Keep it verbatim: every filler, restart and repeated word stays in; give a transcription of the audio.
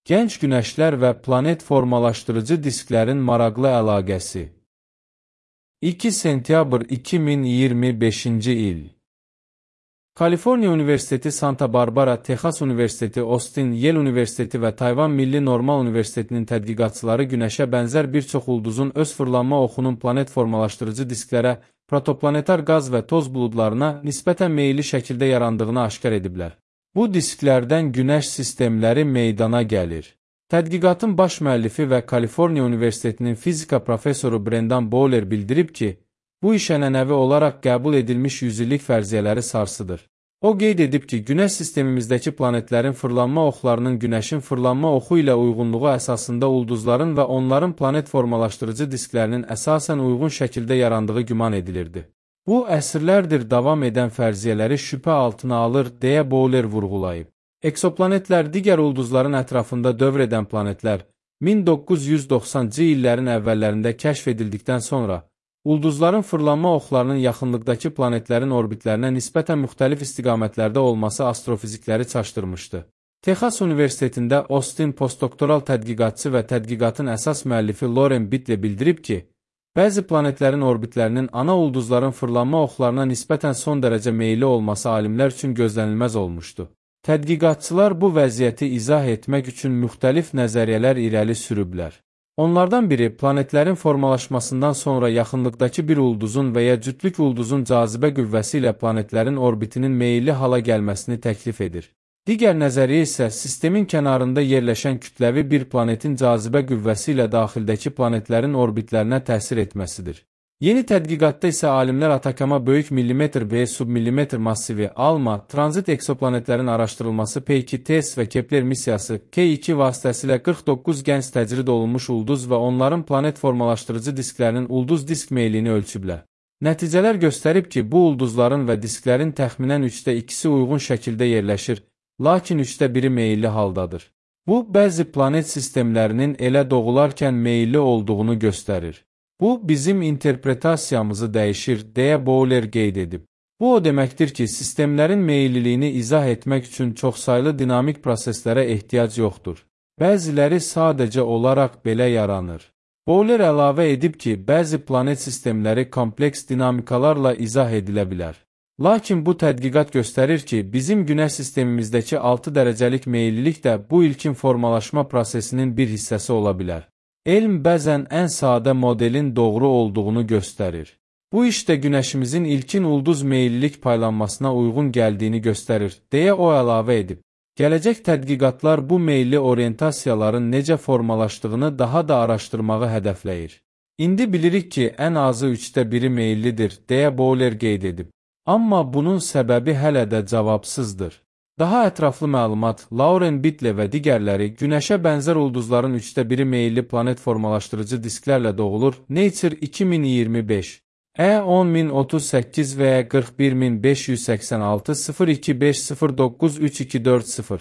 Gənc günəşlər və planet formalaşdırıcı disklərin maraqlı əlaqəsi. iki sentyabr iki min iyirmi beşinci il. Kaliforniya Universiteti, Santa Barbara, Texas Universiteti, Austin, Yale Universiteti və Tayvan Milli Normal Universitetinin tədqiqatçıları günəşə bənzər bir çox ulduzun öz fırlanma oxunun planet formalaşdırıcı disklərə, protoplanetar qaz və toz buludlarına nisbətən meyilli şəkildə yarandığını aşkar ediblər. Bu disklərdən günəş sistemləri meydana gəlir. Tədqiqatın baş müəllifi və Kaliforniya Universitetinin fizika professoru Brendan Bowler bildirib ki, bu iş ənənəvi olaraq qəbul edilmiş yüzillik fərziyyələri sarsıdır. O qeyd edib ki, günəş sistemimizdəki planetlərin fırlanma oxlarının günəşin fırlanma oxu ilə uyğunluğu əsasında ulduzların və onların planet formalaşdırıcı disklərinin əsasən uyğun şəkildə yarandığı güman edilirdi. Bu, əsrlərdir davam edən fərziyyələri şübhə altına alır, deyə Bowler vurğulayıb. Eksoplanetlər digər ulduzların ətrafında dövr edən planetlər min doqquz yüz doxsanıncı illərin əvvəllərində kəşf edildikdən sonra ulduzların fırlanma oxlarının yaxınlıqdakı planetlərin orbitlərinə nisbətən müxtəlif istiqamətlərdə olması astrofizikləri çaşdırmışdı. Texas Universitetində Austin postdoktoral tədqiqatçı və tədqiqatın əsas müəllifi Lauren Bittler bildirib ki, bəzi planetlərin orbitlərinin ana ulduzların fırlanma oxlarına nisbətən son dərəcə meyilli olması alimlər üçün gözlənilməz olmuşdu. Tədqiqatçılar bu vəziyyəti izah etmək üçün müxtəlif nəzəriyyələr irəli sürüblər. Onlardan biri, planetlərin formalaşmasından sonra yaxınlıqdakı bir ulduzun və ya cütlük ulduzun cazibə qüvvəsi ilə planetlərin orbitinin meyilli hala gəlməsini təklif edir. Digər nəzəriyyə isə sistemin kənarında yerləşən kütləvi bir planetin cazibə qüvvəsi ilə daxildəki planetlərin orbitlərinə təsir etməsidir. Yeni tədqiqatda isə alimlər Atakama böyük millimetr və submillimetr massivi, ALMA, tranzit eksoplanetlərin araşdırılması P iki TESS və Kepler missiyası K iki vasitəsilə qırx doqquz gənc təcrid olunmuş ulduz və onların planet formalaşdırıcı disklərinin ulduz disk meylini ölçüblər. Nəticələr göstərib ki, bu ulduzların və disklərin təxminən üçdə ikisi uyğun şəkildə yerləşir, lakin üçdə biri meyilli haldadır. Bu, bəzi planet sistemlərinin elə doğularkən meyilli olduğunu göstərir. Bu, bizim interpretasiyamızı dəyişir, deyə Bowler qeyd edib. Bu, o deməkdir ki, sistemlərin meyilliliyini izah etmək üçün çoxsaylı dinamik proseslərə ehtiyac yoxdur. Bəziləri sadəcə olaraq belə yaranır. Bowler əlavə edib ki, bəzi planet sistemləri kompleks dinamikalarla izah edilə bilər. Lakin bu tədqiqat göstərir ki, bizim günəş sistemimizdəki altı dərəcəlik meyillilik də bu ilkin formalaşma prosesinin bir hissəsi ola bilər. Elm bəzən ən sadə modelin doğru olduğunu göstərir. Bu iş də günəşimizin ilkin ulduz meyillilik paylanmasına uyğun gəldiyini göstərir, deyə o əlavə edib. Gələcək tədqiqatlar bu meyilli orientasiyaların necə formalaşdığını daha da araşdırmağı hədəfləyir. İndi bilirik ki, ən azı üçdə biri meyillidir, deyə Bowler qeyd edib. Amma bunun səbəbi hələ də cavabsızdır. Daha ətraflı məlumat, Lauren Bittler və digərləri günəşə bənzər ulduzların üçdə biri meyilli planet formalaşdırıcı disklərlə doğulur, Nature iki min iyirmi beş, E on min otuz səkkiz və qırx bir min beş yüz səksən altı sıfır iki beş sıfır doqquz üç iki dörd sıfır.